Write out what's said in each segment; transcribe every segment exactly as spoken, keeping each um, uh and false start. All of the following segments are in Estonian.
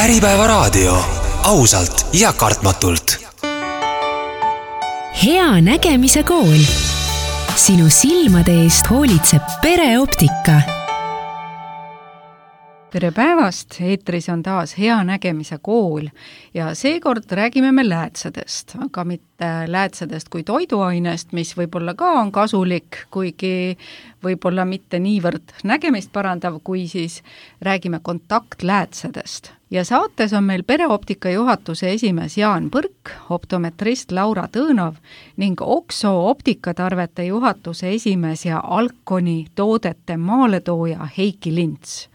Äripäevaraadio, ausalt ja kartmatult. Hea nägemise kool. Sinu silmade eest hoolitseb Pereoptika. Tere päevast, eetris on taas Hea nägemise kool ja seekord räägime me läätsedest, aga mitte läätsedest kui toiduainest, mis võib-olla ka on kasulik, kuigi võib-olla mitte niivõrd nägemist parandav, kui siis räägime kontaktläätsedest. Ja saates on meil Pereoptika juhatuse esimees Jaan Põrk, optometrist Laura Tõõnov ning Okso optikatarvete juhatuse esimees ja Alconi toodete maaletooja Heiki Lints.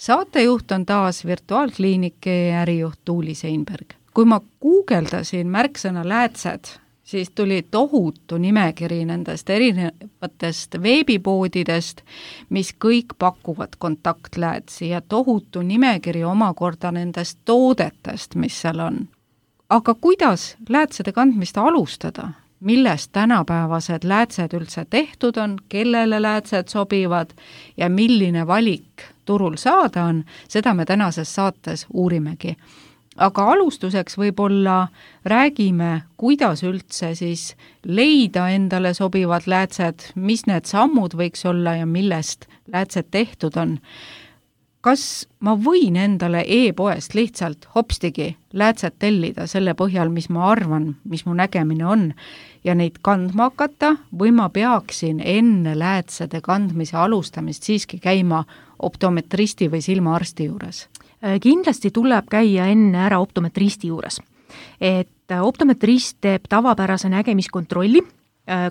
Saatejuht on taas virtuaalkliinike ärijuht Tuuli Seinberg. Kui ma guugeldasin märksõna läätsed, siis tuli tohutu nimekiri nendest erinevatest veebipoodidest, mis kõik pakuvad kontaktläätsi ja tohutu nimekiri omakorda nendest toodetest, mis seal on. Aga kuidas läätsede kandmist alustada? Millest tänapäevased läätsed üldse tehtud on, kellele läätsed sobivad ja milline valik turul saada on, seda me tänases saates uurimegi. Aga alustuseks võib-olla räägime, kuidas üldse siis leida endale sobivad läätsed, mis need sammud võiks olla ja millest läätsed tehtud on. Kas ma võin endale e-poest lihtsalt hopstigi läätset tellida selle põhjal, mis ma arvan, mis mu nägemine on ja neid kandma hakata või ma peaksin enne läätsede kandmise alustamist siiski käima optometristi või silmaarsti juures? Kindlasti tuleb käia enne ära optometristi juures. Et optometrist teeb tavapärase nägemiskontrolli,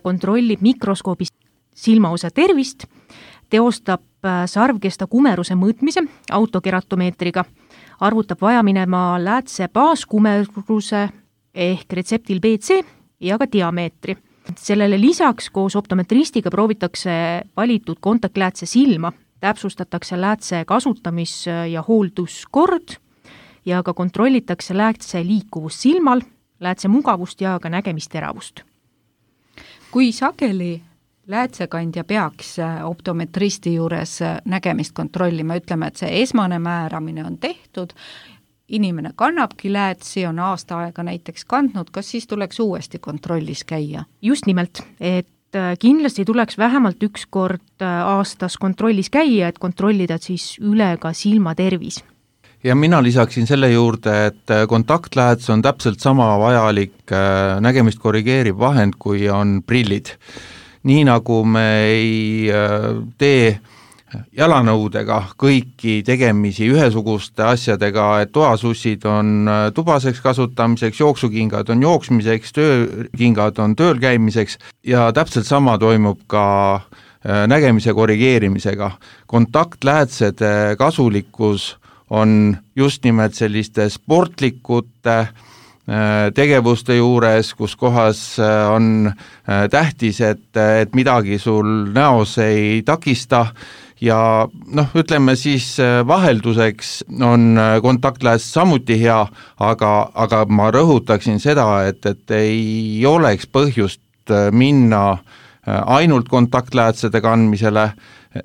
kontrollib mikroskoobist silmaosa tervist, teostab sarvkesta kumeruse mõõtmise autokeratomeetriga, arvutab vajaminema läätse baaskumeruse ehk retseptil B C ja ka diameetri. Sellele lisaks koos optometristiga proovitakse valitud kontaktläätse silma, täpsustatakse läätse kasutamis- ja hoolduskord ja ka kontrollitakse läätse liikuvust silmal, läätse mugavust ja ka nägemisteravust. Kui sageli läätsekandja peaks optometristi juures nägemist kontrollima, ütleme, et see esmane määramine on tehtud, inimene kannabki läätsi, on aasta aega näiteks kandnud, kas siis tuleks uuesti kontrollis käia? Just nimelt, et kindlasti tuleks vähemalt üks kord aastas kontrollis käia, et kontrollida siis üle ka silmatervis. Ja mina lisaksin selle juurde, et kontaktlääts on täpselt sama vajalik nägemist korrigeeriv vahend, kui on prillid. Nii nagu me ei tee jalanõudega kõiki tegemisi ühesuguste asjadega, et toasussid on tubaseks kasutamiseks, jooksukingad on jooksmiseks, töökingad on tööl käimiseks ja täpselt sama toimub ka nägemise korrigeerimisega. Kontaktläätsede kasulikkus on just nimelt selliste sportlikute tegevuste juures, kus kohas on tähtis, et, et midagi sul näos ei takista ja noh, ütleme siis vahelduseks on kontaktlääts samuti hea, aga, aga ma rõhutaksin seda, et, et ei oleks põhjust minna ainult kontaktläätsede kandmisele,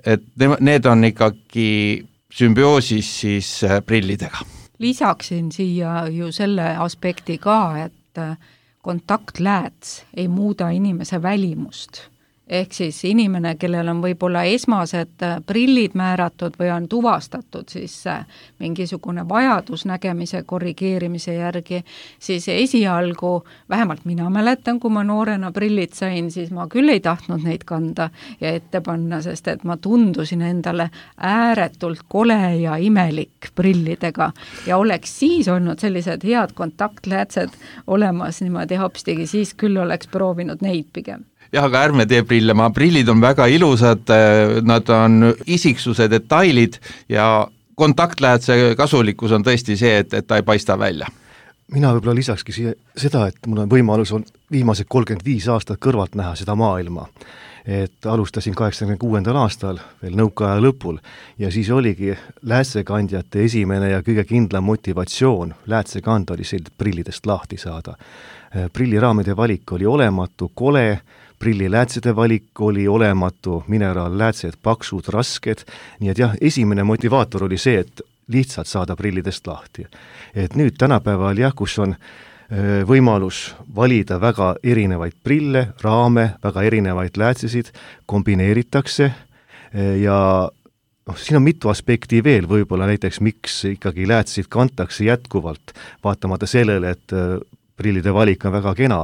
et need on ikkagi sümbioosis siis prillidega. Lisaksin siia ju selle aspekti ka, et kontaktlääts ei muuda inimese välimust. Ehk siis inimene, kellel on võib-olla esmased prillid määratud või on tuvastatud siis mingisugune vajadus nägemise korrigeerimise järgi, siis esialgu, vähemalt mina mäletan, kui ma noorena prillid sain, siis ma küll ei tahtnud neid kanda ja ette panna, sest et ma tundusin endale ääretult kole ja imelik prillidega ja oleks siis olnud sellised head kontaktläätsed olemas niimoodi hopstigi, siis küll oleks proovinud neid pigem. Jah, aga ärme tee prille, ma prillid on väga ilusad, nad on isiksuse detailid ja kontaktläätse kasulikkus on tõesti see, et, et ta ei paista välja. Mina võib-olla lisakski siia seda, et mul on võimalus on viimased kolmkümmend viis aastat kõrvalt näha seda maailma. Et alustasin kaheksakümne kuuendal aastal veel nõukaaja lõpul ja siis oligi läätsekandjate esimene ja kõige kindlam motivatsioon läätsekanda oli sellised prillidest lahti saada. Prilliraamide valik oli olematu, kole, prilliläätsede valik oli olematu, mineraalläätsed, paksud, rasked, nii et jah, esimene motivaator oli see, et lihtsalt saada prillidest lahti. Et nüüd tänapäeval jah, kus on võimalus valida väga erinevaid prille, raame, väga erinevaid läätsesid, kombineeritakse ja noh, siin on mitu aspekti veel, võib-olla näiteks miks ikkagi läätseid kantakse jätkuvalt, vaatamata sellele, et prillide valik on väga kena.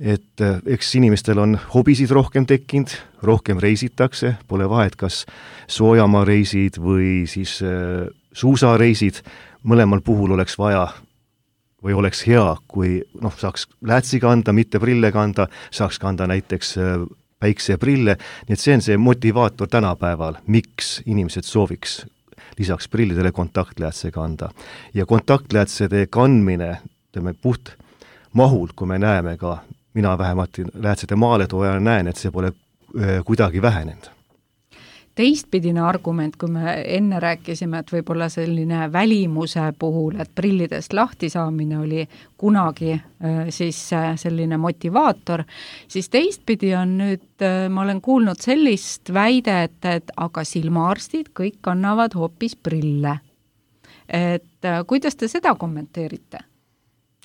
Et eks inimestel on hobisid rohkem tekkinud, rohkem reisitakse, pole vahet, kas soojamaa reisid või siis suusareisid, mõlemal puhul oleks vaja või oleks hea, kui noh, saaks läätsi kanda, mitte prille kanda, saaks kanda näiteks päikseprille, nii et see on see motivaator tänapäeval, miks inimesed sooviks lisaks prillidele kontaktläätse kanda. Ja kontaktläätsede kandmine, teeme puht mahul, kui me näeme ka, mina vähemalt läätsede maaletooja näen, et see pole kuidagi vähenenud. Teistpidine argument, kui me enne rääkisime, et võib-olla selline välimuse puhul, et prillidest lahti saamine oli kunagi siis selline motivaator, siis teistpidi on nüüd, ma olen kuulnud sellist väidet, et aga silmaarstid kõik kannavad hoopis prille. Et kuidas te seda kommenteerite?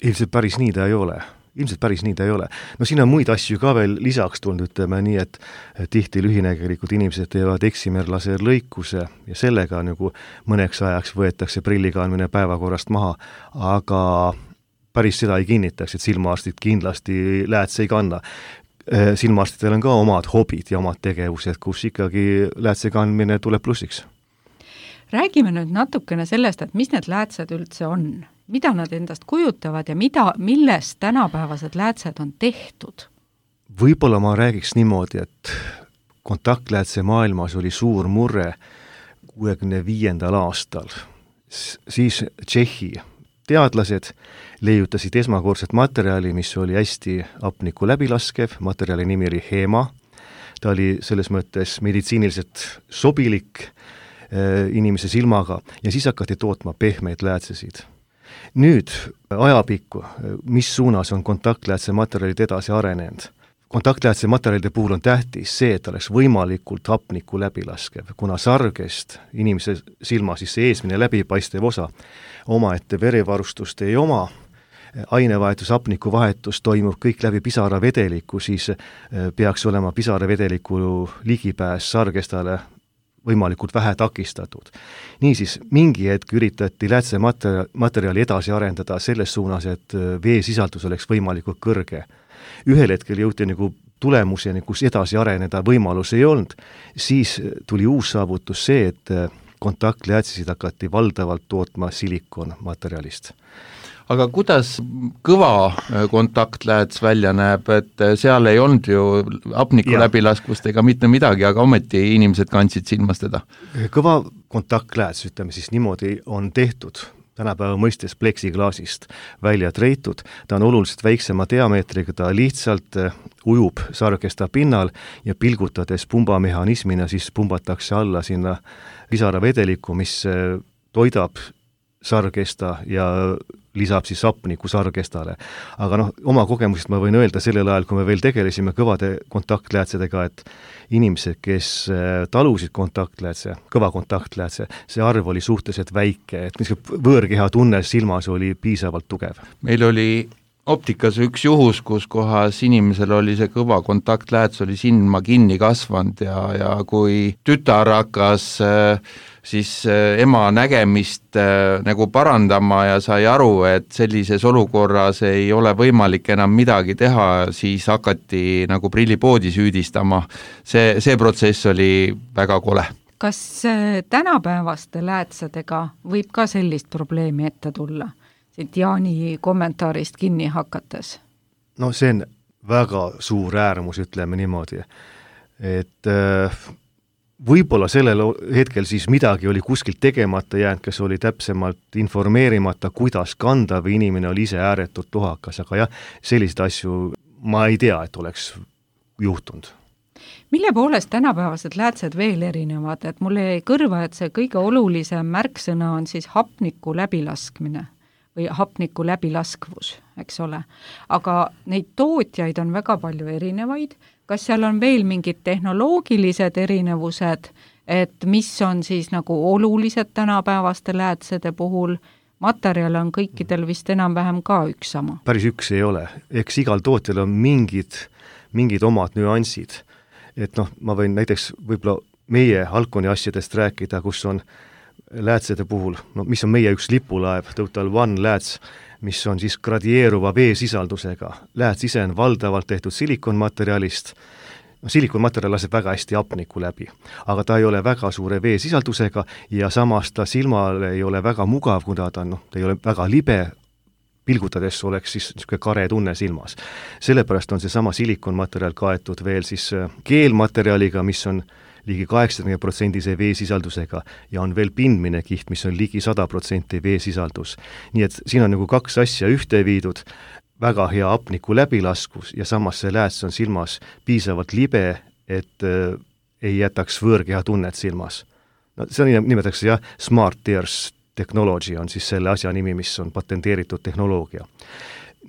Ilmselt päris nii ta ei ole. Ilmselt päris nii ta ei ole. No siin on muid asju ka veel lisaks tulnud, ütleme nii, et tihti lühinägelikult inimesed teevad eksimerlaserlõikuse ja sellega nagu mõneks ajaks võetakse prillikandmine päevakorrast maha, aga päris seda ei kinnitaks, et silmaarstid kindlasti läätse ei kanna. Silmaarstidel on ka omad hobid ja omad tegevused, kus ikkagi läätse kandmine tuleb plussiks. Räägime nüüd natukene sellest, et mis need läätsed üldse on, mida nad endast kujutavad ja mida, millest tänapäevased läätsed on tehtud? Võib-olla ma räägiks niimoodi, et kontaktläätse maailmas oli suur murre kuuekümne viiendal aastal. Siis Tšehhi teadlased leiutasid esmakordset materjali, mis oli hästi hapnikku läbilaskev, materjali nimi oli Hema. Ta oli selles mõttes meditsiiniliselt sobilik inimese silmaga ja siis hakati tootma pehmeid läätsesid. Nüüd ajapikku, mis suunas on kontaktläätse materjalid edasi arenenud? Kontaktläätse materjalide puhul on tähtis see, et oleks võimalikult hapnikku läbilaskev, kuna sargest inimese silma siis see eesmine läbipaistev osa omaette verivarustust ei oma, ainevahetus, hapniku vahetus toimub kõik läbi pisaravedeliku, siis peaks olema pisaravedeliku ligipääs sargestale võimalikult vähe takistatud. Niisiis, mingi hetk üritati läätse materjali edasi arendada selles suunas, et veesisaldus oleks võimalikult kõrge. Ühel hetkel jõuti nagu tulemuseni, kus edasi areneda võimalus ei olnud, siis tuli uus saavutus see, et kontaktläätsesid hakati valdavalt tootma silikonmaterjalist. Aga kuidas kõva kontaktlääts välja näeb, et seal ei olnud ju hapniku ja. läbilaskvust ega mitte midagi, aga ometi inimesed kandsid silmas teda? Kõva kontaktlääts, ütleme siis niimoodi, on tehtud tänapäeva mõistes pleksiklaasist välja treitud, ta on oluliselt väiksema diameetriga, ta lihtsalt ujub sargesta pinnal ja pilgutades pumbamehhanismina siis pumbatakse alla sinna pisaravedeliku, mis toidab sargesta ja lisab siis hapniku sargestale. Aga noh, oma kogemusest ma võin öelda sellel ajal, kui me veel tegelesime kõvade kontaktläätsedega, et inimesed, kes talusid kontaktläätse, kõva kontaktläätse, see arv oli suhteliselt väike, et võõrkeha tunne silmas oli piisavalt tugev. Meil oli optikas üks juhus, kus kohas inimesel oli see kõva kontaktlääts, oli silma kinni kasvanud ja, ja kui tütar hakkas siis ema nägemist nagu parandama ja sai aru, et sellises olukorras ei ole võimalik enam midagi teha, siis hakati nagu prillipoodi süüdistama. See, see protsess oli väga kole. Kas tänapäevaste läätsedega võib ka sellist probleemi ette tulla? Siit Jaani kommentaarist kinni hakates. No see on väga suur äärmus, ütleme niimoodi, et võib-olla sellel hetkel siis midagi oli kuskilt tegemata jäänud, kes oli täpsemalt informeerimata, kuidas kanda või inimene oli ise ääretult tuhakas, aga jah, selliseid asju ma ei tea, et oleks juhtunud. Mille poolest tänapäevased läätsed veel erinevad, et mulle jäi kõrva, et see kõige olulisem märksõna on siis hapniku läbilaskmine või hapniku läbilaskvus, eks ole. Aga neid tootjaid on väga palju erinevaid, kas seal on veel mingid tehnoloogilised erinevused, et mis on siis nagu olulised tänapäevaste läätsede puhul, materjal on kõikidel vist enam-vähem ka üks sama. Päris üks ei ole, eks igal tootel on mingid, mingid omad nüansid, et noh, ma võin näiteks võib-olla meie Alconi asjadest rääkida, kus on läätsede puhul, no mis on meie üks lipulaev, Total One lääts, mis on siis gradieeruva veesisaldusega. Lääts ise on valdavalt tehtud silikonmaterjalist, no silikonmaterjal laseb väga hästi hapniku läbi, aga ta ei ole väga suure veesisaldusega ja samas ta silmale ei ole väga mugav, kuna ta on, noh, ta ei ole väga libe, pilgutades oleks siis niisugune kare tunne silmas. Sellepärast on see sama silikonmaterjal kaetud veel siis keelmaterjaliga, mis on ligi kaheksakümmend protsenti veesisaldusega ja on veel pindmine kiht, mis on ligi sada protsenti veesisaldus. Nii et siin on nagu kaks asja ühte viidud, väga hea hapniku läbilaskus ja samas see lääts on silmas piisavalt libe, et äh, ei jätaks võõrkeha tunnet silmas. No, see on, nimetatakse jah, Smart Tears Technology on siis selle asja nimi, mis on patenteeritud tehnoloogia.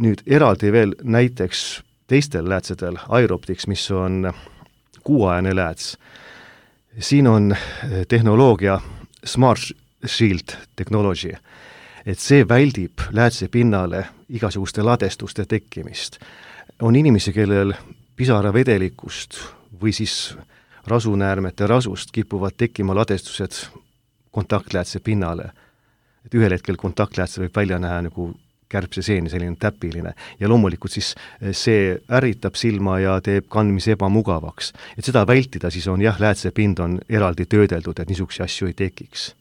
Nüüd eraldi veel näiteks teistel läätsedel, Aeroptics, mis on kuuajane lääts. Siin on tehnoloogia Smart Shield Technology, et see väldib läätse pinnale igasuguste ladestuste tekkimist. On inimesi, kellel pisaravedelikust või siis rasunäärmete rasust kipuvad tekkima ladestused kontaktläätse pinnale. Et ühel hetkel kontaktläätse võib välja näha nagu kärbse seeni, selline täpiline. Ja loomulikult siis see ärritab silma ja teeb kandmise ebamugavaks. Et seda vältida siis on jah, läätse pind on eraldi töödeldud, et niisuguse asju ei tekiks.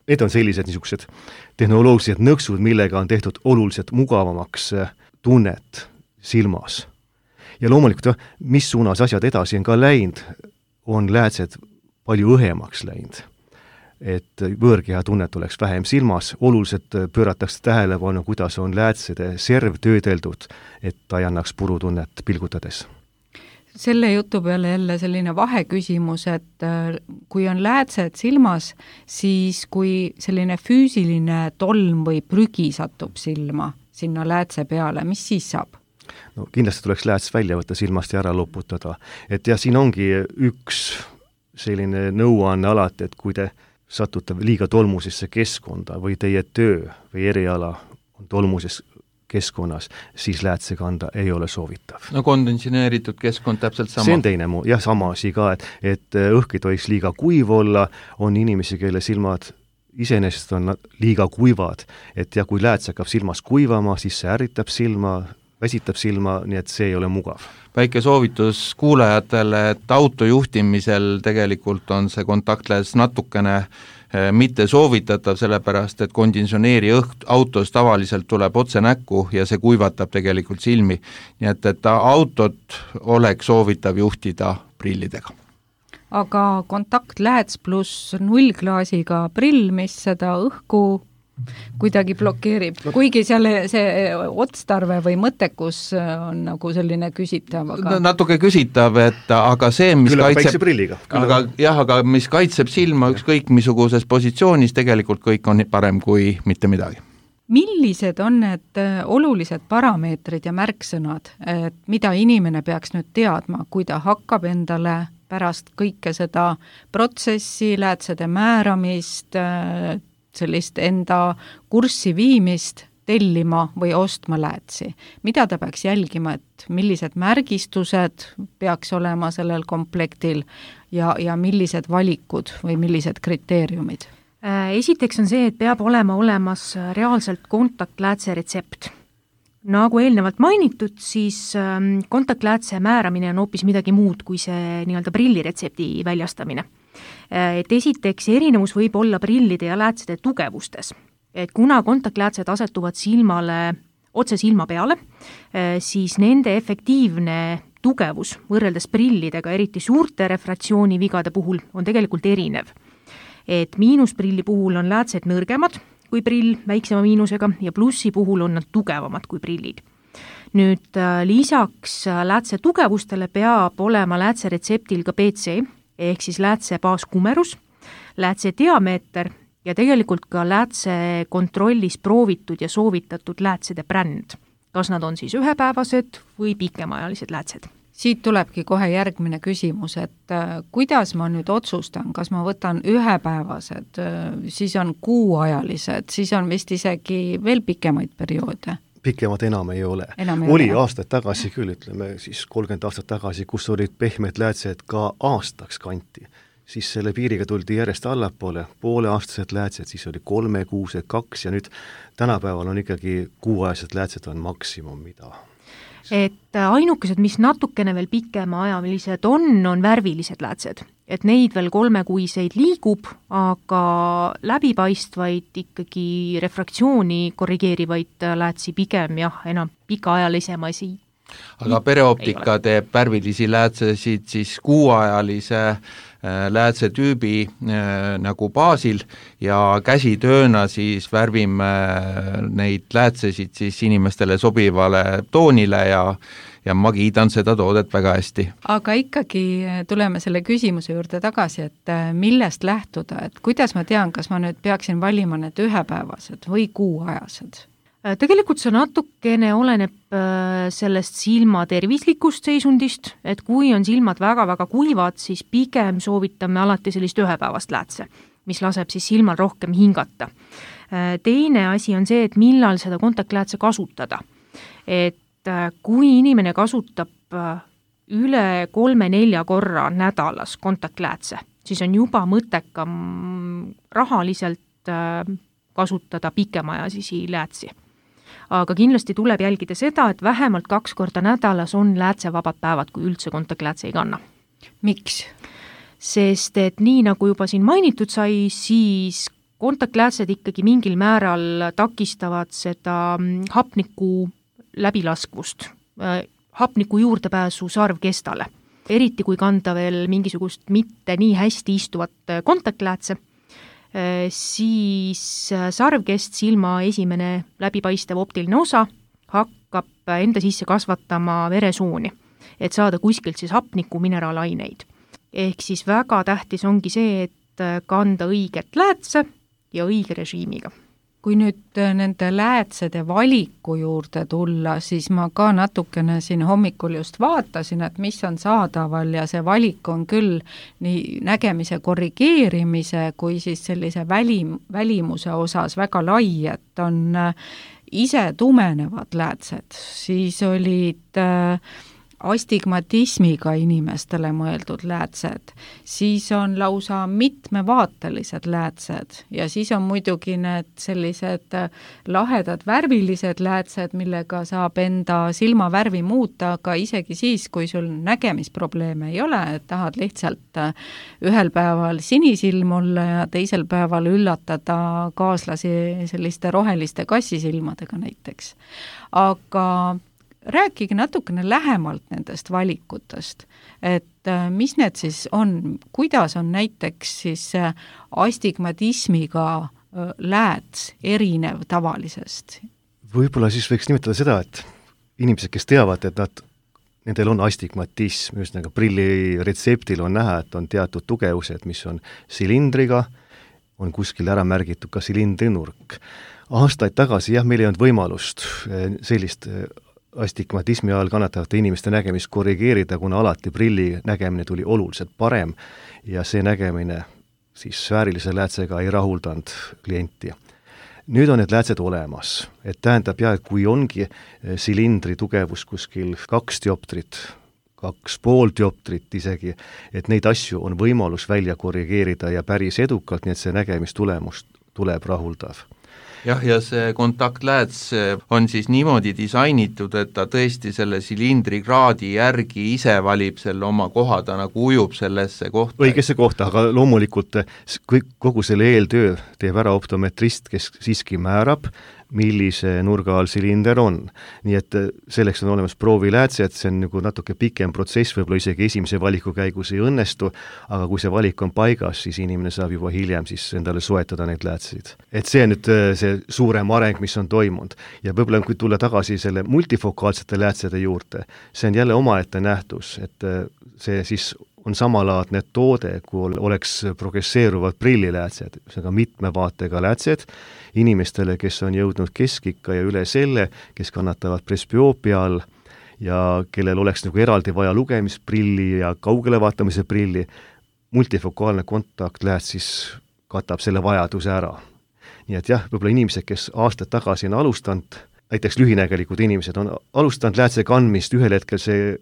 Need on sellised niisugused tehnoloogilised nõksud, millega on tehtud oluliselt mugavamaks tunnet silmas. Ja loomulikult, mis suunas asjad edasi on ka läinud, on läätsed palju õhemaks läinud. Et võõrkeha tunnet oleks vähem silmas, oluliselt pööratakse tähelepanu, kuidas on läätsede serv töödeldud, et ta ei annaks purutunnet pilgutades. Selle jutu peale jälle selline vaheküsimus, et kui on läätsed silmas, siis kui selline füüsiline tolm või prügi satub silma sinna läätse peale, mis siis saab? No kindlasti tuleks lääts välja võtta silmast ja ära loputada. Et jah, siin ongi üks selline nõuanne alati, et kui te satute liiga tolmusesse keskkonda või teie töö või eriala on tolmuses keskkonnas, siis läätse kanda ei ole soovitav. No kondensineeritud keskkond täpselt sama. See on teine muu, jah, sama asi ka, et, et õhk ei tohiks liiga kuiv olla, on inimesi, kelle silmad iseenesest on liiga kuivad, et ja kui lääts hakkab silmas kuivama, siis see ärritab silma, väsitab silma, nii et see ei ole mugav. Väike soovitus kuulajatele, et autojuhtimisel tegelikult on see kontaktlääts natukene mitte soovitatav, sellepärast et konditsioneeri õht autos tavaliselt tuleb otse näkku ja see kuivatab tegelikult silmi. Nii et, et autot oleks soovitav juhtida prillidega. Aga kontaktlääts pluss nullklaasiga prill, mis seda õhku kuidagi blokeerib, kuigi seal see otstarve või mõttekus on nagu selline küsitav, aga natuke küsitav, et aga see, mis Küll kaitseb aga, jah, aga mis kaitseb silma ükskõik misuguses positsioonis, tegelikult kõik on parem kui mitte midagi. Millised on need olulised parameetrid ja märksõnad, et mida inimene peaks nüüd teadma, kui ta hakkab endale pärast kõike seda protsessi, läätsede määramist, sellist enda kurssi viimist tellima või ostma läätsi. Mida ta peaks jälgima, et millised märgistused peaks olema sellel komplektil ja, ja millised valikud või millised kriteeriumid? Esiteks on see, et peab olema olemas reaalselt kontaktläätse retsept. Nagu eelnevalt mainitud, siis kontaktläätse määramine on hoopis midagi muud kui see nii-öelda prilliretsepti väljastamine. Et esiteks erinevus võib olla prillide ja läätsede tugevustes. Et kuna kontaktläätsed asetuvad silmale, otse silma peale, siis nende efektiivne tugevus võrreldes prillidega, eriti suurte refratsioonivigade puhul, on tegelikult erinev. Et miinusprilli puhul on läätsed nõrgemad kui prill väiksema miinusega ja plussi puhul on nad tugevamad kui prillid. Nüüd lisaks läätse tugevustele peab olema läätse retseptil ka B C, ehk siis läätse baaskumerus, läätse diameeter ja tegelikult ka läätse kontrollis proovitud ja soovitatud läätsede bränd. Kas nad on siis ühepäevased või pikemaajalised läätsed? siit tulebki kohe järgmine küsimus, et kuidas ma nüüd otsustan, kas ma võtan ühepäevased, siis on kuuajalised, siis on vist isegi veel pikemaid perioode? Pikemad enam ei ole. Enam ei oli ole. aastaid tagasi küll, ütleme siis kolmkümmend aastat tagasi, kus olid pehmed läätsed ka aastaks kanti. Siis selle piiriga tuldi järjest allapoole, pooleaastased läätsed, siis oli kolmekuused, kaks ja nüüd tänapäeval on ikkagi kuuajased läätsed on maksimum, mida. Et ainukesed, mis natukene veel pikemaajalised on, on värvilised läätsed. Et neid veel kolmekuiseid liigub, aga läbipaistvaid ikkagi refraktsiooni korrigeerivaid läätsi pigem jah, enam pikaajalisem asi. Aga pereoptika teeb värvilisi läätsesid siis kuuajalise läätse tüübi äh, nagu baasil ja käsitööna siis värvime neid läätsesid siis inimestele sobivale toonile ja, ja ma kiidan seda toodet väga hästi. Aga ikkagi tuleme selle küsimuse juurde tagasi, et millest lähtuda, et kuidas ma tean, kas ma nüüd peaksin valima need ühepäevased või kuuajased? Tegelikult see natukene oleneb sellest silma tervislikust seisundist, et kui on silmad väga-väga kuivad, siis pigem soovitame alati sellist ühepäevast läätse, mis laseb siis silmal rohkem hingata. Teine asi on see, et millal seda kontaktläätse kasutada. Et kui inimene kasutab üle kolme-nelja korra nädalas kontaktläätse, siis on juba mõttekam rahaliselt kasutada pikemaajasisi läätsi. Aga kindlasti tuleb jälgida seda, et vähemalt kaks korda nädalas on läätsevabad päevad, kui üldse kontaktläätse ei kanna. Miks? Sest et nii nagu juba siin mainitud sai, siis kontaktläätsed ikkagi mingil määral takistavad seda hapniku läbilaskvust, hapniku juurdepääsu sarvkestale. Eriti kui kanda veel mingisugust mitte nii hästi istuvat kontaktläätse, siis sarvkest, silma esimene läbipaistev optiline osa hakkab enda sisse kasvatama veresooni, et saada kuskilt siis hapniku mineraalaineid. Ehk siis väga tähtis ongi see, et kanda õiget läätse ja õige režiimiga. Kui nüüd nende läätsede valiku juurde tulla, siis ma ka natukene siin hommikul just vaatasin, et mis on saadaval ja see valik on küll nii nägemise korrigeerimise kui siis sellise välim, välimuse osas väga lai, et on ise tumenevad läätsed, siis olid äh, astigmatismiga inimestele mõeldud läätsed, siis on lausa mitmevaatelised läätsed ja siis on muidugi need sellised lahedad värvilised läätsed, millega saab enda silmavärvi muuta, aga isegi siis, kui sul nägemisprobleeme ei ole, et tahad lihtsalt ühel päeval sinisilm olla ja teisel päeval üllatada kaaslasi selliste roheliste kassisilmadega näiteks. Aga rääkige natukene lähemalt nendest valikutest, et mis need siis on, kuidas on näiteks siis astigmatismiga lääts erinev tavalisest? Võib-olla siis võiks nimetada seda, et inimesed, kes teavad, et nad, nendel on astigmatism, just nagu prilli retseptil on näha, et on teatud tugevused, mis on silindriga, on kuskil ära märgitud ka silindrinurk. Aastaid tagasi jah, meil ei olnud võimalust sellist astigmatismi all kannatavate inimeste nägemist korrigeerida, kuna alati prilli nägemine tuli oluliselt parem ja see nägemine siis sfäärilise läätsega ei rahuldanud klienti. Nüüd on need läätsed olemas, et tähendab jah, et kui ongi silindri tugevus kuskil kaks dioptrit, kaks pool dioptrit isegi, et neid asju on võimalus välja korrigeerida ja päris edukalt, nii et see nägemistulemus tuleb rahuldav. Jah, ja see kontaktlääts on siis niimoodi disainitud, et ta tõesti selle silindri kraadi järgi ise valib selle oma koha, ta nagu ujub sellesse kohta. Õigesse kohta, aga loomulikult kogu selle eeltöö teeb ära optometrist, kes siiski määrab, millise nurga all silinder on. Nii et selleks on olemas prooviläätse, et see on nagu natuke pikem protsess, võib-olla isegi esimese valiku käigus ei õnnestu, aga kui see valik on paigas, siis inimene saab juba hiljem siis endale soetada neid läätseid. Et see on nüüd see suurem areng, mis on toimunud. Ja võib-olla kui tulla tagasi selle multifokaalsete läätsede juurde, see on jälle omaette nähtus, et see siis on samalaadne toode, kui oleks progresseeruvad prilliläätsed, seega mitme vaatega läätsed inimestele, kes on jõudnud keskikka ja üle selle, kes kannatavad presbyoopia all ja kellel oleks nagu eraldi vaja lugemisprilli ja kaugele vaatamise prilli, multifokaalne kontaktlääts siis katab selle vajaduse ära. Nii et jah, võib-olla inimesed, kes aastad tagasi on alustanud, näiteks lühinägelikud inimesed on alustanud läätse kandmist, ühel hetkel see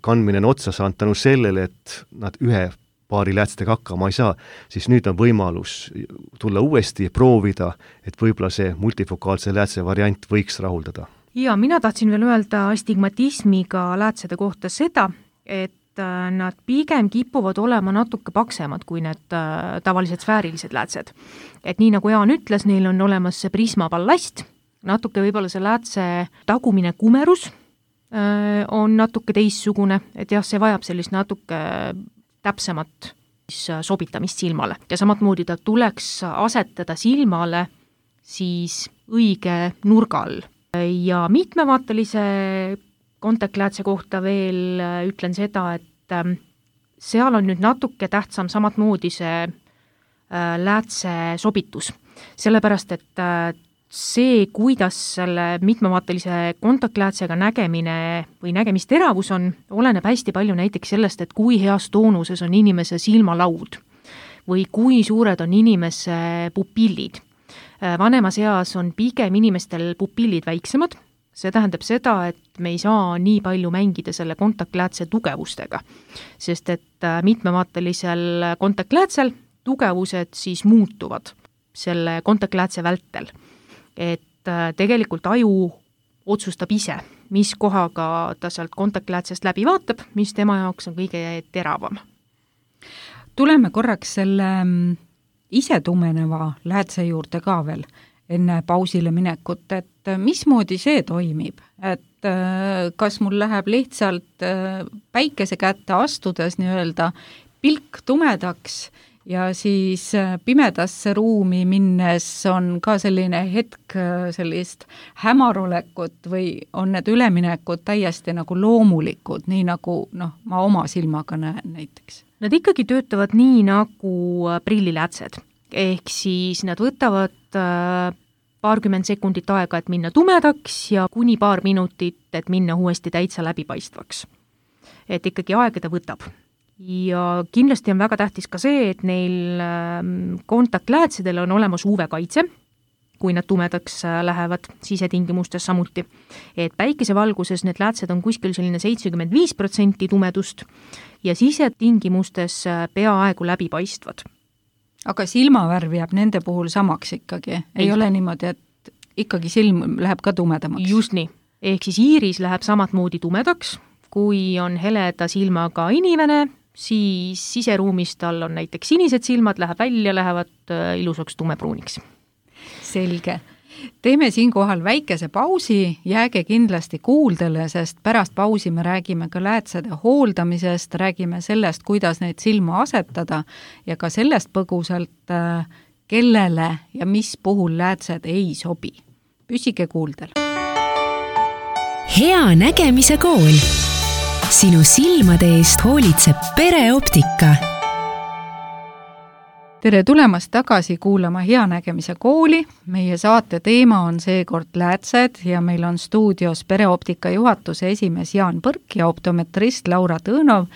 kandmine on otsa saanud tänu sellele, et nad ühe paari läätstega hakkama ei saa, siis nüüd on võimalus tulla uuesti, proovida, et võib-olla see multifokaalse läätse variant võiks rahuldada. Ja mina tahtsin veel öelda astigmatismiga läätsede kohta seda, et nad pigem kipuvad olema natuke paksemad kui need tavalised sfäärilised läätsed. Et nii nagu Jaan ütles, neil on olemas see prismaballast, natuke võib-olla see läätse tagumine kumerus on natuke teissugune, et jah, see vajab sellist natuke täpsemat sobitamist silmale. Ja samatmoodi ta tuleks asetada silmale siis õige nurga all. Ja mitmevaatelise kontaktläätse kohta veel ütlen seda, et seal on nüüd natuke tähtsam samatmoodi see läätse sobitus. Sellepärast, et see, kuidas selle mitmevaatelise kontaktläätsega nägemine või nägemisteravus on, oleneb hästi palju näiteks sellest, et kui heas toonuses on inimese silmalaud või kui suured on inimese pupillid. Vanemas eas on pigem inimestel pupillid väiksemad, see tähendab seda, et me ei saa nii palju mängida selle kontaktläätse tugevustega, sest et mitmevaatelisel kontaktläätsel tugevused siis muutuvad selle kontaktläätse vältel. Et tegelikult aju otsustab ise, mis kohaga ta sealt kontaktläätsest läbi vaatab, mis tema jaoks on kõige teravam. Tuleme korraks selle ise tumeneva läätse juurde ka veel enne pausile minekut, et mismoodi see toimib, et kas mul läheb lihtsalt päikese kätte astudes nii-öelda pilk tumedaks ja siis pimedasse ruumi minnes on ka selline hetk sellist hämarolekut või on need üleminekud täiesti nagu loomulikud, nii nagu noh, ma oma silmaga näen näiteks? Nad ikkagi töötavad nii nagu prilliläätsed, ehk siis nad võtavad paarkümmend sekundit aega, et minna tumedaks ja kuni paar minutit, et minna uuesti täitsa läbipaistvaks. Et ikkagi aega ta võtab. Ja kindlasti on väga tähtis ka see, et neil kontaktläätsedel on olemas U V-kaitse, kui nad tumedaks lähevad sisetingimustes samuti. Et päikesevalguses need läätsed on kuskil selline seitsekümmend viis protsenti tumedust ja sisetingimustes peaaegu läbipaistvad. Aga silmavärv jääb nende puhul samaks ikkagi? Ei, ei ole niimoodi, et ikkagi silm läheb ka tumedamaks? Just nii. Ehk siis iiris läheb samat moodi tumedaks, kui on heleda silmaga inimene, siis siseruumis tal on näiteks sinised silmad, läheb välja, lähevad ilusaks tumepruuniks. Selge. Teeme siinkohal väikese pausi, jääge kindlasti kuuldele, sest pärast pausi me räägime ka läätsede hooldamisest, räägime sellest, kuidas neid silma asetada ja ka sellest põgusalt, kellele ja mis puhul läätsed ei sobi. Püsige kuuldel. Hea nägemise kool. Sinu silmade eest hoolitseb pereoptika. Tere tulemast tagasi kuulama Hea nägemise kooli. Meie saate teema on seekord läätsed ja meil on stuudios pereoptika juhatuse esimees Jaan Põrk ja optometrist Laura Tõõnov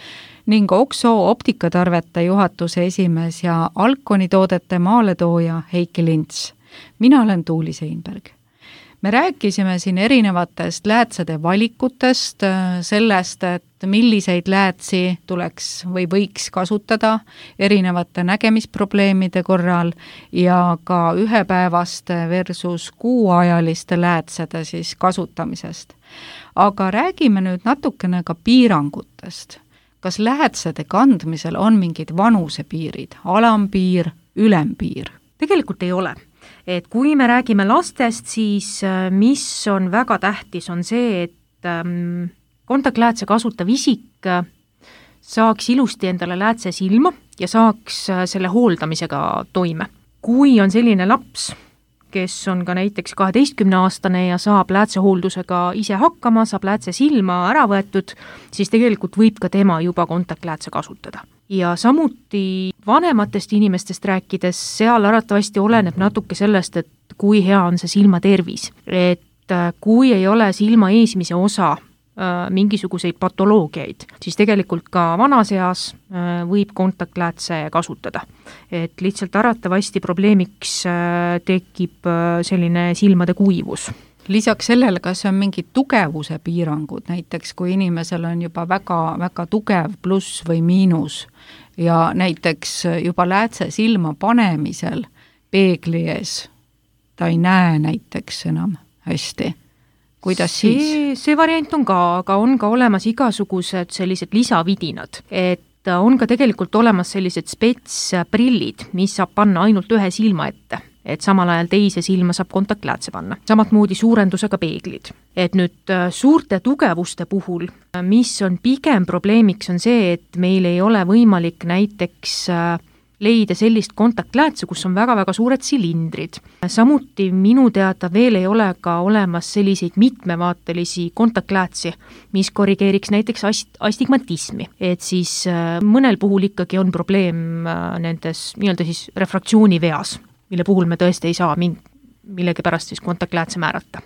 ning Okso optikatarvete juhatuse esimees ja Alkoni toodete maaletooja Heiki Lints. Mina olen Tuuli Seinberg. Me rääkisime siin erinevatest läätsede valikutest, sellest, et milliseid läätsi tuleks või võiks kasutada erinevate nägemisprobleemide korral ja ka ühepäevaste versus kuuajaliste läätsede siis kasutamisest. Aga räägime nüüd natukene ka piirangutest. Kas läätsede kandmisel on mingid vanusepiirid, alampiir, ülempiir? Tegelikult ei ole. Et kui me räägime lastest, siis mis on väga tähtis, on see, et kontaktläätse kasutav isik saaks ilusti endale läätse silma ja saaks selle hooldamisega toime. Kui on selline laps, kes on ka näiteks kaheteistkümneaastane ja saab läätsehooldusega ise hakkama, saab läätse silma ära võetud, siis tegelikult võib ka tema juba kontaktläätse kasutada. Ja samuti vanematest inimestest rääkides, seal arvatavasti oleneb natuke sellest, et kui hea on see silma tervis. Et kui ei ole silma eesmise osa mingisuguseid patoloogiaid, siis tegelikult ka vanas eas võib kontaktläätse kasutada. Et lihtsalt aratavasti probleemiks tekib selline silmade kuivus. Lisaks sellele, kas on mingid tugevuse piirangud, näiteks kui inimesel on juba väga, väga tugev pluss või miinus ja näiteks juba läätse silma panemisel peegli ees ta ei näe näiteks enam hästi. Kuidas see, siis? See variant on ka, aga on ka olemas igasugused sellised lisavidinad, et on ka tegelikult olemas sellised spetsprillid, mis saab panna ainult ühe silma ette, et samal ajal teise silma saab kontaktläätse panna. Samatmoodi suurendusega peeglid. Et nüüd suurte tugevuste puhul, mis on pigem probleemiks, on see, et meil ei ole võimalik näiteks leida sellist kontaktläätse, kus on väga-väga suured silindrid. Samuti minu teada veel ei ole ka olemas selliseid mitmevaatelisi kontaktläätsi, mis korrigeeriks näiteks ast- astigmatismi. Et siis mõnel puhul ikkagi on probleem nendes nii-öelda siis refraktsiooniveas, mille puhul me tõesti ei saa ming- millegipärast siis kontaktläätse määrata.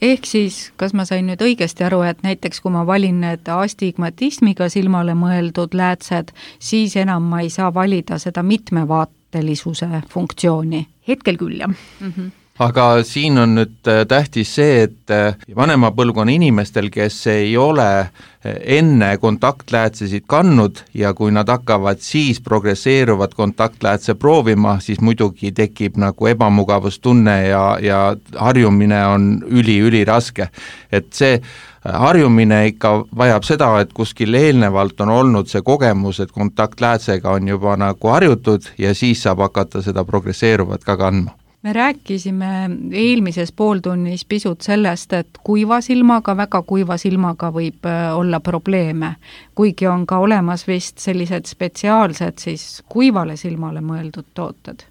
Ehk siis, kas ma sain nüüd õigesti aru, et näiteks kui ma valin need astigmatismiga silmale mõeldud läätsed, siis enam ma ei saa valida seda mitmevaatelisuse funktsiooni? Hetkel küll, jah. Mm-hmm. Aga siin on nüüd tähtis see, et vanema põlvkonna inimestel, kes ei ole enne kontaktläätsesid kandnud ja kui nad hakkavad siis progresseeruvat kontaktläätse proovima, siis muidugi tekib nagu ebamugavustunne ja, ja harjumine on üli-üli raske. Et see harjumine ikka vajab seda, et kuskil eelnevalt on olnud see kogemus, et kontaktläätsega on juba nagu harjutud ja siis saab hakata seda progresseeruvat ka kandma. Me rääkisime eelmises pooltunnis pisut sellest, et kuiva silmaga, väga kuiva silmaga võib olla probleeme, kuigi on ka olemas vist sellised spetsiaalsed siis kuivale silmale mõeldud tooted.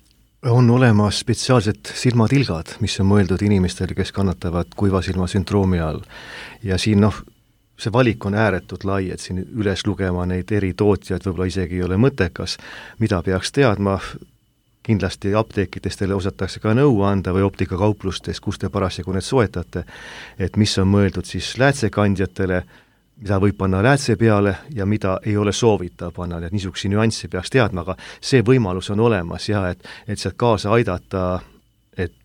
On olemas spetsiaalsed silmatilgad, mis on mõeldud inimestele, kes kannatavad kuiva silma sündroomi all. Ja siin noh, see valik on ääretult lai, et siin üles lugema neid eri tootjaid võib-olla isegi ei ole mõttekas, mida peaks teadma. Kindlasti apteekidest teile osatakse ka nõu anda või optikakauplustes, kus te parasjagu need soetate, et mis on mõeldud siis läätsekandjatele, mida võib panna läätse peale ja mida ei ole soovitav panna, et niisuguse nüanssi peaks teadma, aga see võimalus on olemas ja et, et sealt kaasa aidata, et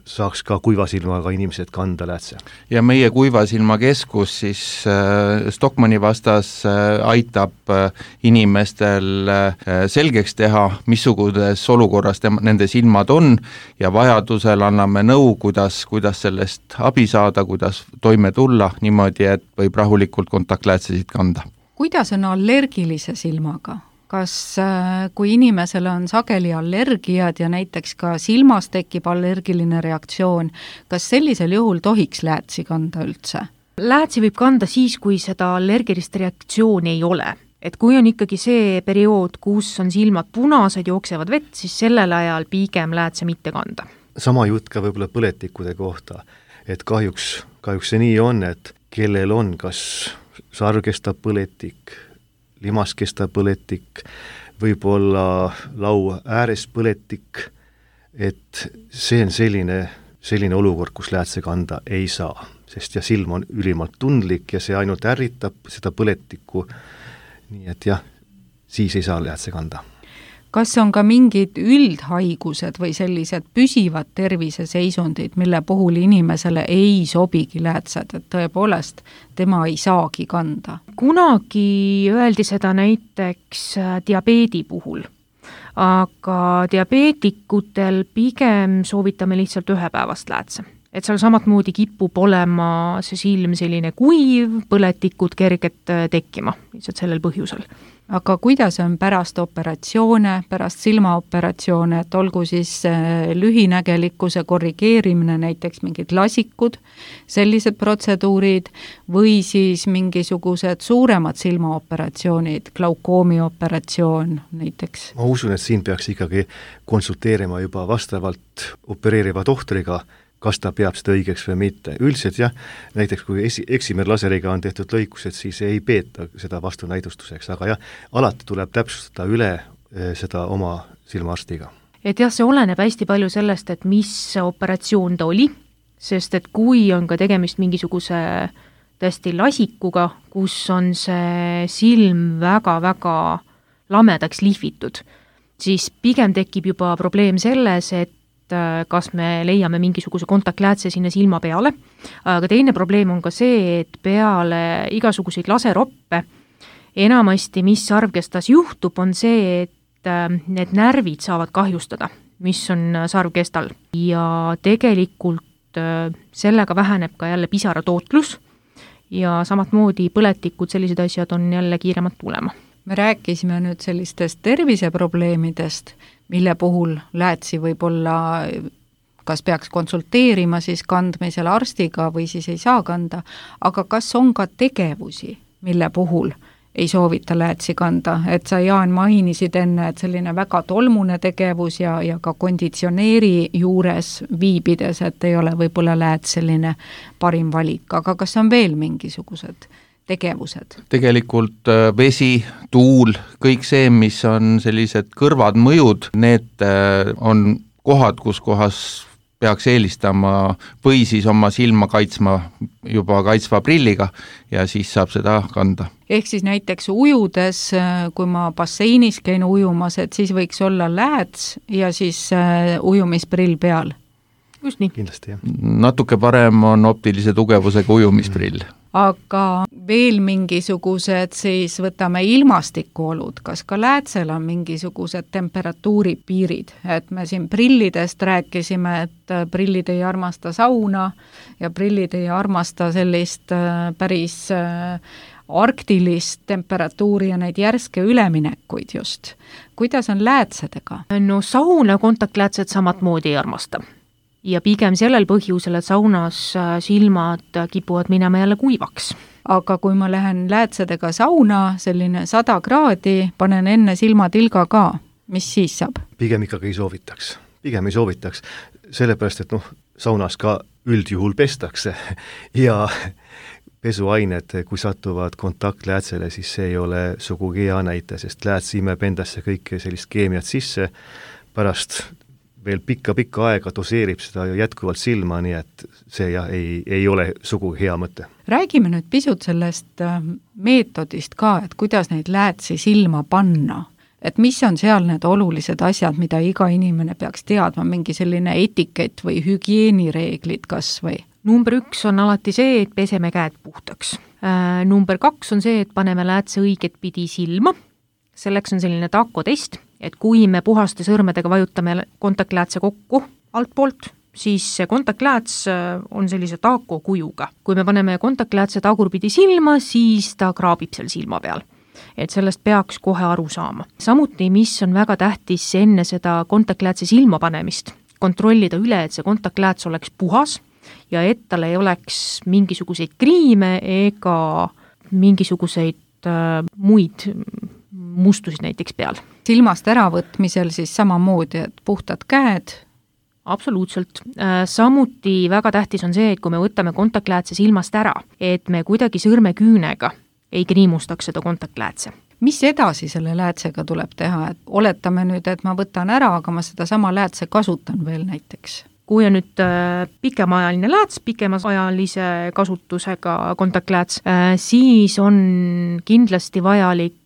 saaks ka kuivasilmaga inimesed kanda läätse. Ja meie kuivasilmakeskus siis äh, Stockmanni vastas äh, aitab äh, inimestel äh, selgeks teha, missuguses olukorras tema, nende silmad on ja vajadusel anname nõu, kuidas, kuidas sellest abi saada, kuidas toime tulla niimoodi, et võib rahulikult kontaktläätsesid kanda. Kuidas on allergilise silmaga? Kas kui inimesel on sageli allergiad ja näiteks ka silmas tekib allergiline reaktsioon, kas sellisel juhul tohiks läätsi kanda üldse? Läätsi võib kanda siis, kui seda allergilist reaktsiooni ei ole. Et kui on ikkagi see periood, kus on silmad punased, jooksevad vett, siis sellel ajal pigem läätse mitte kanda. Sama jutt ka võib-olla põletikude kohta, et kahjuks, kahjuks see nii on, et kellel on kas sargestab põletik, limas kestab põletik, võib-olla lau ääres põletik, et see on selline, selline olukord, kus läätse kanda ei saa, sest ja silm on ülimalt tundlik ja see ainult ärritab seda põletikku, nii et jah, siis ei saa läätse kanda. Kas on ka mingid üldhaigused või sellised püsivad terviseseisundid, mille puhul inimesele ei sobigi läätsed, et tõepoolest tema ei saagi kanda? Kunagi öeldi seda näiteks diabeedi puhul, aga diabeetikutel pigem soovitame lihtsalt ühepäevast läätse. Et seal samatmoodi kipub olema see silm selline kuiv, põletikud kerget tekkima, lihtsalt sellel põhjusel. Aga kuidas on pärast operatsioone, pärast silmaoperatsioone, et olgu siis lühinägelikkuse korrigeerimine, näiteks mingid lasikud, sellised protseduurid või siis mingisugused suuremad silmaoperatsioonid, glaukoomi operatsioon näiteks? Ma usun, et siin peaks ikkagi konsulteerima juba vastavalt opereeriva tohtriga, kas ta peab seda õigeks või mitte. Üldiselt jah, näiteks kui esi, eksimerlaseriga on tehtud lõikused, siis ei peeta seda vastunäidustuseks, aga jah, alati tuleb täpsustada üle seda oma silmaarstiga. Et jah, see oleneb hästi palju sellest, et mis operatsioon ta oli, sest et kui on ka tegemist mingisuguse tõesti lasikuga, kus on see silm väga-väga lamedaks lihvitud, siis pigem tekib juba probleem selles, et kas me leiame mingisuguse kontaktläätse sinna silma peale, aga teine probleem on ka see, et peale igasuguseid laseroppe enamasti, mis sarvkestas juhtub, on see, et need närvid saavad kahjustada, mis on sarvkestal ja tegelikult sellega väheneb ka jälle pisaratootlus ja samatmoodi põletikud, sellised asjad on jälle kiiremad tulema. Me rääkisime nüüd sellistest terviseprobleemidest, mille puhul läätsi võib olla, kas peaks konsulteerima siis kandmisel arstiga või siis ei saa kanda, aga kas on ka tegevusi, mille puhul ei soovita läätsi kanda, et sa, Jaan, mainisid enne, et selline väga tolmune tegevus ja, ja ka konditsioneeri juures viibides, et ei ole võib-olla lääts selline parim valik, aga kas on veel mingisugused tegevused? Tegelikult vesi, tuul, kõik see, mis on sellised kõrvad mõjud, need on kohad, kus kohas peaks eelistama või siis oma silma kaitsma juba kaitsva prilliga ja siis saab seda kanda. Ehk siis näiteks ujudes, kui ma basseinis käin ujumas, et siis võiks olla lääts ja siis ujumisprill peal? Just nii. Kindlasti, jah. Natuke parem on optilise tugevusega ujumisprill. Aga veel mingisugused, siis võtame ilmastikuolud, kas ka läätsel on mingisugused temperatuuripiirid, et me siin prillidest rääkisime, et prillid ei armasta sauna ja prillid ei armasta sellist päris arktilist temperatuuri ja neid järske üleminekuid just. Kuidas on läätsedega? No sauna kontaktläätsed samatmoodi ei armasta. Ja pigem sellel põhjusel, et saunas silmad kipuvad minema jälle kuivaks. Aga kui ma lähen läätsedega sauna, selline sada kraadi, panen enne silmatilga ka, mis siis saab? Pigem ikkagi ei soovitaks. Pigem ei soovitaks, sellepärast, et noh, saunas ka üldjuhul pestakse ja pesuained, kui satuvad kontaktläätsele, siis see ei ole sugugi hea näite, sest lääts imeb endasse kõike sellist keemiat sisse, pärast veel pikka-pikka aega doseerib seda ju jätkuvalt silma, nii et see jah, ei, ei ole sugugi hea mõte. Räägime nüüd pisut sellest meetodist ka, et kuidas neid läätsi silma panna. Et mis on seal need olulised asjad, mida iga inimene peaks teadma, mingi selline etikett või hügieenireeglid kas või? Number üks on alati see, et peseme käed puhtaks. Number kaks on see, et paneme läätse õiget pidi silma. Selleks on selline takotest, et kui me puhaste sõrmedega vajutame kontaktläätse kokku altpoolt, siis see kontaktlääts on sellise taako kujuga. Kui me paneme kontaktläätse tagurpidi silma, siis ta kraabib seal silma peal. Et sellest peaks kohe aru saama. Samuti, mis on väga tähtis enne seda kontaktläätse silma panemist, kontrollida üle, et see kontaktlääts oleks puhas ja et tal ei oleks mingisuguseid kriime ega mingisuguseid äh, muid mustusid näiteks peal. Silmast äravõtmisel siis samamoodi, et puhtad käed? Absoluutselt. Samuti väga tähtis on see, et kui me võtame kontaktläätse silmast ära, et me kuidagi sõrmeküünega ei kriimustaks seda kontaktläätse. Mis edasi selle läätsega tuleb teha? Et oletame nüüd, et ma võtan ära, aga ma seda sama läätse kasutan veel näiteks. Kui on nüüd pikemaajaline lääts, pikemaajalise kasutusega kontaktlääts, siis on kindlasti vajalik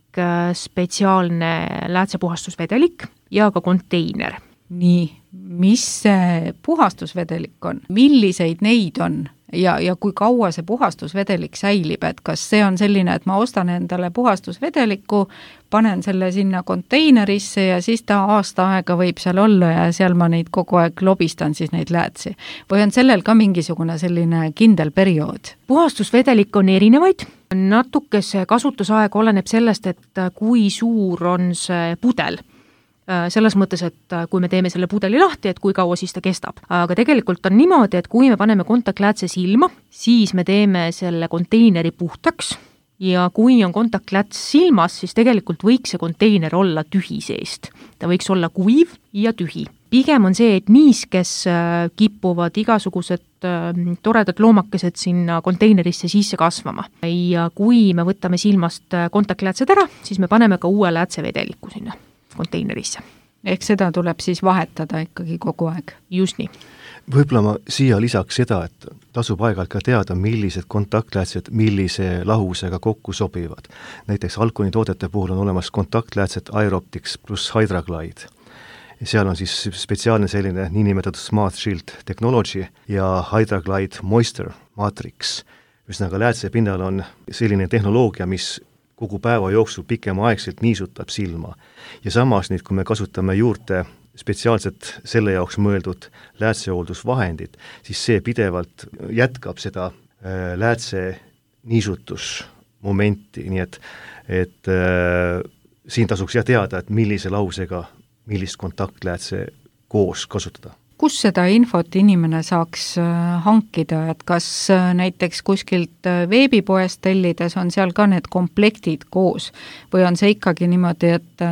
spetsiaalne läätsepuhastusvedelik ja ka konteiner. Nii, mis see puhastusvedelik on? Milliseid neid on? Ja, ja kui kaua see puhastusvedelik säilib, et kas see on selline, et ma ostan endale puhastusvedeliku, panen selle sinna konteinerisse ja siis ta aasta aega võib seal olla ja seal ma neid kogu aeg lobistan siis neid läätsi. Või on sellel ka mingisugune selline kindel periood? Puhastusvedelik on erinevaid. Natuke see kasutusaeg oleneb sellest, et kui suur on see pudel. Selles mõttes, et kui me teeme selle pudeli lahti, et kui kaua siis ta kestab. Aga tegelikult on niimoodi, et kui me paneme kontaktläätse silma, siis me teeme selle konteineri puhtaks ja kui on kontaktlääts silmas, siis tegelikult võiks see konteiner olla tühi seest. Ta võiks olla kuiv ja tühi. Pigem on see, et niiskes kipuvad igasugused toredad loomakesed sinna konteinerisse sisse kasvama. Ja kui me võtame silmast kontaktläätsed ära, siis me paneme ka uue läätsevedeliku sinna konteinerisse. Ehk seda tuleb siis vahetada ikkagi kogu aeg. Just nii. Võib-olla ma siia lisaks seda, et tasub aeg-ajalt ka teada, millised kontaktläätsed millise lahusega kokku sobivad. Näiteks Alconi toodete puhul on olemas kontaktläätsed Aeroptics pluss Hydraglide. Seal on siis spetsiaalne selline niinimetatud Smart Shield Technology ja Hydraglide Moisture Matrix. Ühesõnaga läätse pinnal on selline tehnoloogia, mis kogu päeva jooksul pikemaaegselt niisutab silma. Ja samas nüüd, kui me kasutame juurde spetsiaalselt selle jaoks mõeldud läätsehooldusvahendid, siis see pidevalt jätkab seda äh, läätse niisutusmomenti, nii et, et äh, siin tasuks jah teada, et millise lausega millist kontaktläätse koos kasutada. Kus seda infot inimene saaks hankida, et kas näiteks kuskilt veebipoest tellides on seal ka need komplektid koos või on see ikkagi niimoodi, et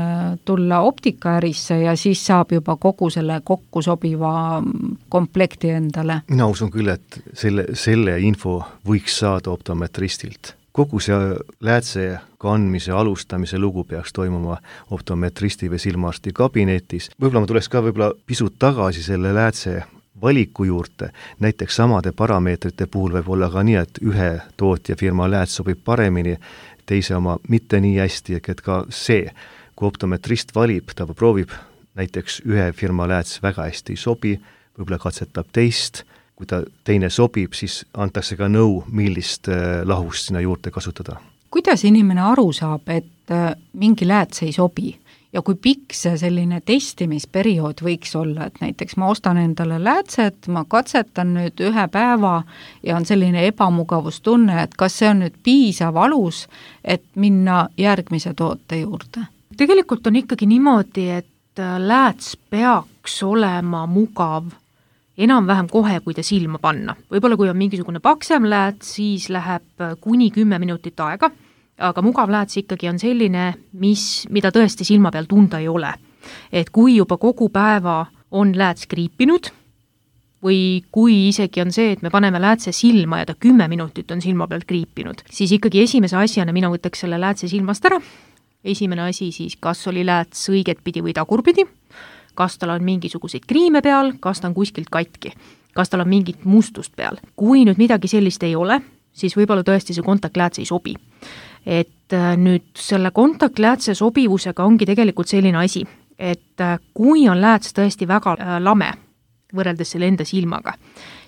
tulla optikaärisse ja siis saab juba kogu selle kokku sobiva komplekti endale? Mina usun küll, et selle, selle info võiks saada optometristilt. Kogu see läätse kandmise alustamise lugu peaks toimuma optometristi või silmaarsti kabinetis. Võib-olla ma tuleks ka võib-olla pisut tagasi selle läätse valiku juurde. Näiteks samade parameetrite puhul võib olla ka nii, et ühe tootja firma lääts sobib paremini, teise oma mitte nii hästi, et ka see, kui optometrist valib, ta proovib näiteks ühe firma lääts väga hästi ei sobi, võib-olla katsetab teist, kui ta teine sobib, siis antakse ka nõu, millist lahust sinna juurde kasutada. Kuidas inimene aru saab, et mingi lääts ei sobi ja kui pikk see selline testimisperiood võiks olla, et näiteks ma ostan endale läätset, ma katsetan nüüd ühe päeva ja on selline ebamugavustunne, et kas see on nüüd piisav alus, et minna järgmise toote juurde? Tegelikult on ikkagi niimoodi, et lääts peaks olema mugav enam-vähem kohe, kui ta silma panna. Võib-olla kui on mingisugune paksem lääts, siis läheb kuni kümme minutit aega, aga mugav lääts ikkagi on selline, mis, mida tõesti silma peal tunda ei ole. Et kui juba kogu päeva on lääts kriipinud või kui isegi on see, et me paneme läätse silma ja ta kümme minutit on silma peal kriipinud, siis ikkagi esimese asjana mina võtaks selle läätse silmast ära. Esimene asi siis, kas oli lääts õiget pidi või tagurpidi, kas tal on mingisuguseid kriime peal, kas ta on kuskilt katki, kas tal on mingit mustust peal. Kui nüüd midagi sellist ei ole, siis võib-olla tõesti see kontaktlääts ei sobi. Et nüüd selle kontaktläätse sobivusega ongi tegelikult selline asi, et kui on lääts tõesti väga lame, võrreldes selle enda silmaga,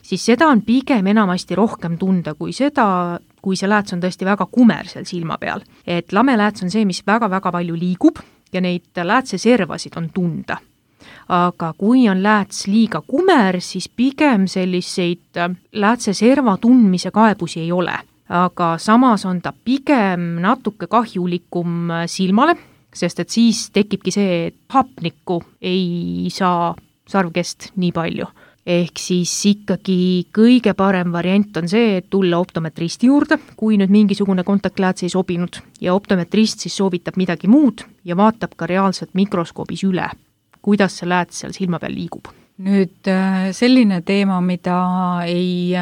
siis seda on pigem enamasti rohkem tunda kui seda, kui see lääts on tõesti väga kumer seal silma peal. Et lame lääts on see, mis väga-väga palju liigub ja neid läätse servasid on tunda. Aga kui on lääts liiga kumer, siis pigem selliseid läätse serva tundmise kaebusi ei ole. Aga samas on ta pigem natuke kahjulikum silmale, sest et siis tekibki see, et hapnikku ei saa sarvkest nii palju. Ehk siis ikkagi kõige parem variant on see, et tulla optometristi juurde, kui nüüd mingisugune kontaktlääts ei sobinud ja optometrist siis soovitab midagi muud ja vaatab ka reaalselt mikroskoobis üle, kuidas see lääts seal silma peal liigub. Nüüd selline teema, mida ei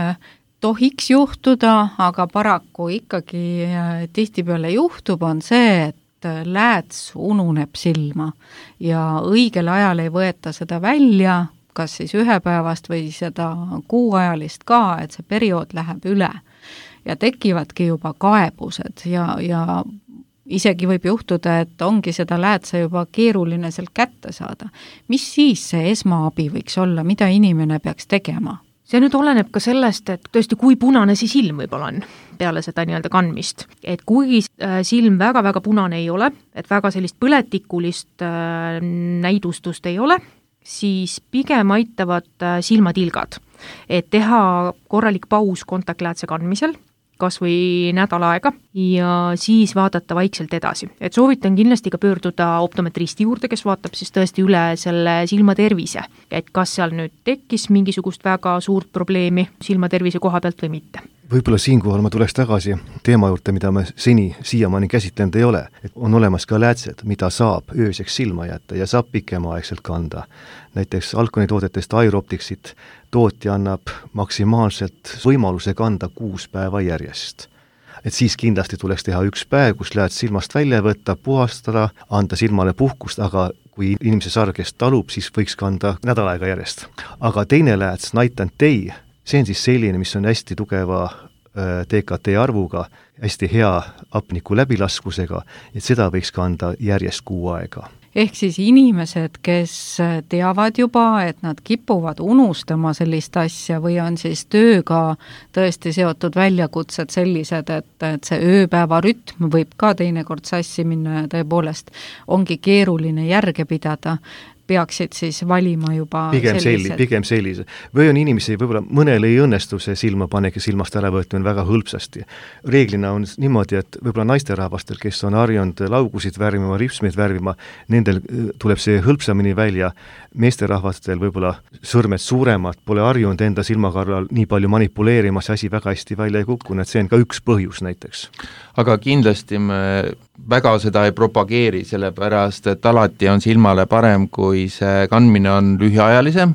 tohiks juhtuda, aga paraku ikkagi tihtipeale juhtub, on see, et lääts ununeb silma ja õigel ajal ei võeta seda välja, kas siis ühepäevast või seda kuuajalist ka, et see periood läheb üle ja tekivadki juba kaebused ja, ja isegi võib juhtuda, et ongi seda läätse juba keeruline sealt kätte saada. Mis siis see esmaabi võiks olla, mida inimene peaks tegema? See nüüd oleneb ka sellest, et tõesti kui punane see silm võib-olla on peale seda nii-öelda kandmist. Et kui silm väga-väga punane ei ole, et väga sellist põletikulist näidustust ei ole, siis pigem aitavad silmatilgad. Et teha korralik paus kontaktläätse kandmisel, kas või nädal aega ja siis vaadata vaikselt edasi. Et soovitan kindlasti ka pöörduda optometristi juurde, kes vaatab siis tõesti üle selle silmatervise, et kas seal nüüd tekkis mingisugust väga suurt probleemi silmatervise koha pealt või mitte. Võib-olla siinkohal ma tuleks tagasi teema juurde, mida me seni siiamaani käsitlenud ei ole. Et on olemas ka läätsed, mida saab ööseks silma jätta ja saab pikemaaegselt kanda. Näiteks Alconi toodetest Aeropticsit tootja annab maksimaalselt võimaluse kanda kuus päeva järjest. Et siis kindlasti tuleks teha üks päev, kus lääts silmast välja võtta, puhastada, anda silmale puhkust, aga kui inimese sarvkest talub, siis võiks kanda nädal aega järjest. Aga teine lääts, Night and Day, see on siis selline, mis on hästi tugeva D K T arvuga, hästi hea hapniku läbilaskusega, et seda võiks kanda järjest kuu aega. Ehk siis inimesed, kes teavad juba, et nad kipuvad unustama sellist asja või on siis tööga tõesti seotud väljakutsed sellised, et, et see ööpäeva rütm võib ka teinekord sassi minna ja tõepoolest ongi keeruline järge pidada, peaksid siis valima juba pigem sellised. Pigem sellise. Või on inimesi, võib-olla mõnel ei õnnestu see silmapanek ja silmast äravõtmine väga hõlpsasti. Reeglina on niimoodi, et võib-olla naisterahvastel, kes on harjunud laugusid värvima, ripsmeid värvima, nendel tuleb see hõlpsamini välja. Meesterahvastel võib-olla sõrmed suuremad, pole harjunud enda silmakarral nii palju manipuleerima, see asi väga hästi välja ei kukku, et see on ka üks põhjus näiteks. Aga kindlasti me väga seda ei propageeri, sellepärast et alati on silmale parem, kui see kandmine on lühiajalisem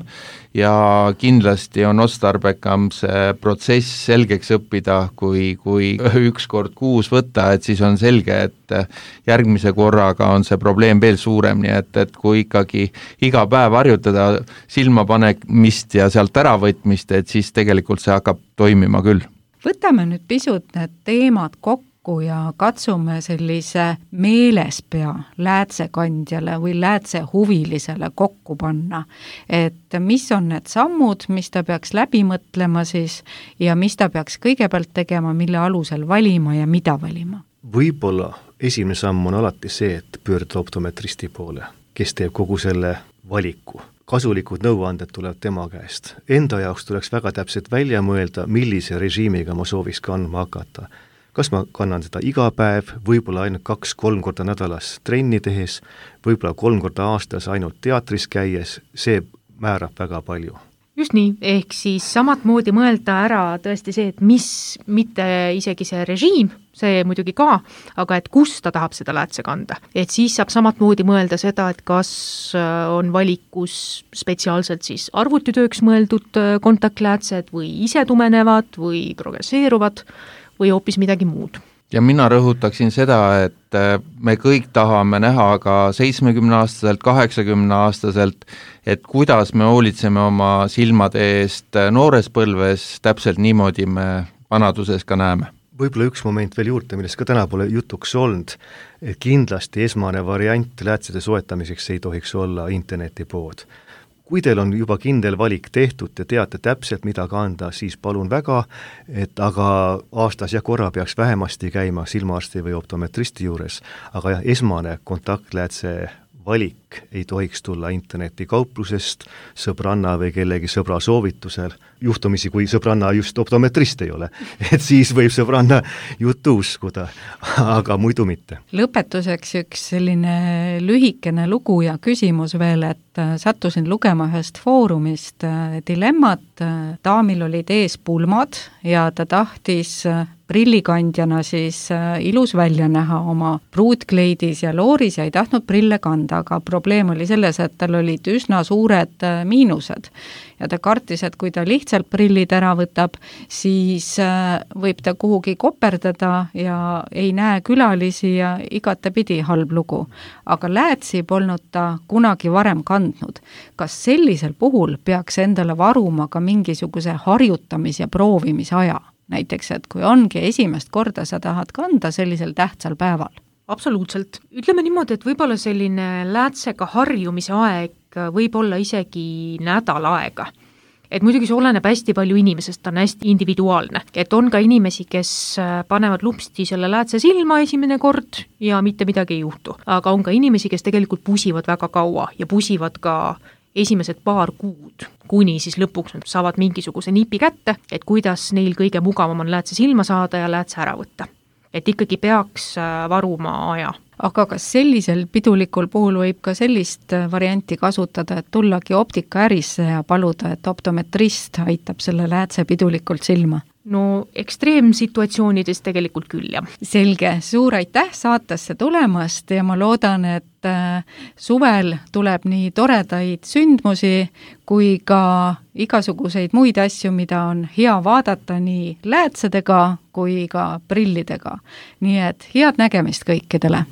ja kindlasti on otstarbekam see protsess selgeks õppida, kui, kui üks kord kuus võtta, et siis on selge, et järgmise korraga on see probleem veel suurem, nii et, et kui ikkagi iga päev harjutada silmapanemist ja sealt äravõtmist, et siis tegelikult see hakkab toimima küll. Võtame nüüd pisut need teemad kokku ja katsume sellise meelespea läätsekandjale või läätsehuvilisele kokku panna, et mis on need sammud, mis ta peaks läbi mõtlema siis ja mis ta peaks kõigepealt tegema, mille alusel valima ja mida valima. Võib-olla esimene samm on alati see, et pöörduda optometristi poole, kes teeb kogu selle valiku. Kasulikud nõuanded tuleb tema käest. Enda jaoks tuleks väga täpselt välja mõelda, millise režiimiga ma sooviks kandma hakata. Kas ma kannan seda iga päev, võib-olla ainult kaks-kolm korda nädalas trenni tehes, võib-olla kolm korda aastas ainult teatris käies, see määrab väga palju. Just nii, ehk siis samat moodi mõelda ära tõesti see, et mis, mitte isegi see režiim, see muidugi ka, aga et kus ta tahab seda läätse kanda. Et siis saab samat moodi mõelda seda, et kas on valikus spetsiaalselt siis arvutitööks mõeldud kontaktläätsed või ise tumenevad või progresseeruvad või hoopis midagi muud. Ja mina rõhutaksin seda, et me kõik tahame näha ka seitsmekümne-aastaselt, kaheksakümne-aastaselt, et kuidas me hoolitseme oma silmade eest noores põlves, täpselt niimoodi me vanaduses ka näeme. Võib-olla üks moment veel juurde, millest ka täna pole jutuks olnud, et kindlasti esmane variant läätsede soetamiseks ei tohiks olla internetipood. Kui teil on juba kindel valik tehtud ja teate täpselt, mida kanda, siis palun väga, et aga aastas ja korra peaks vähemasti käima silmaarsti või optometristi juures, aga jah, esmane kontaktläätse valik ei tohiks tulla internetikauplusest, sõbranna või kellegi sõbra soovitusel, juhtumisi kui sõbranna just optometrist ei ole, et siis võib sõbranna juttu uskuda, aga muidu mitte. Lõpetuseks üks selline lühikene lugu ja küsimus veel, et sattusin lugema ühest foorumist dilemmat, daamil olid ees pulmad ja ta tahtis prillikandjana siis ilus välja näha oma pruutkleidis ja looris ja ei tahtnud prille kanda, aga probleem oli selles, et tal olid üsna suured miinused ja ta kartis, et kui ta lihtsalt prillid ära võtab, siis võib ta kuhugi koperdada ja ei näe külalisi ja igatepidi halb lugu. Aga läätsi polnud ta kunagi varem kandnud. Kas sellisel puhul peaks endale varuma ka mingisuguse harjutamis- ja proovimise aja? Näiteks, et kui ongi esimest korda sa tahad kanda sellisel tähtsal päeval. Absoluutselt. Ütleme niimoodi, et võib-olla selline läätsega harjumise aeg võib olla isegi nädal aega. Et muidugi see oleneb hästi palju inimesest, ta on hästi individuaalne. Et on ka inimesi, kes panevad lupsti selle läätse silma esimene kord ja mitte midagi ei juhtu. Aga on ka inimesi, kes tegelikult pusivad väga kaua ja pusivad ka esimesed paar kuud, kuni siis lõpuks saavad mingisuguse nipi kätte, et kuidas neil kõige mugavam on läätse silma saada ja läätse ära võtta. Et ikkagi peaks varuma aja. Aga kas sellisel pidulikul puhul võib ka sellist varianti kasutada, et tullagi optikaärisse ja paluda, et optometrist aitab selle läätse pidulikult silma? No ekstreemsituatsioonides tegelikult küll, jah. Selge, suur aitäh saatesse tulemast ja ma loodan, et suvel tuleb nii toredaid sündmusi kui ka igasuguseid muid asju, mida on hea vaadata nii läätsedega kui ka prillidega. Nii et head nägemist kõikidele!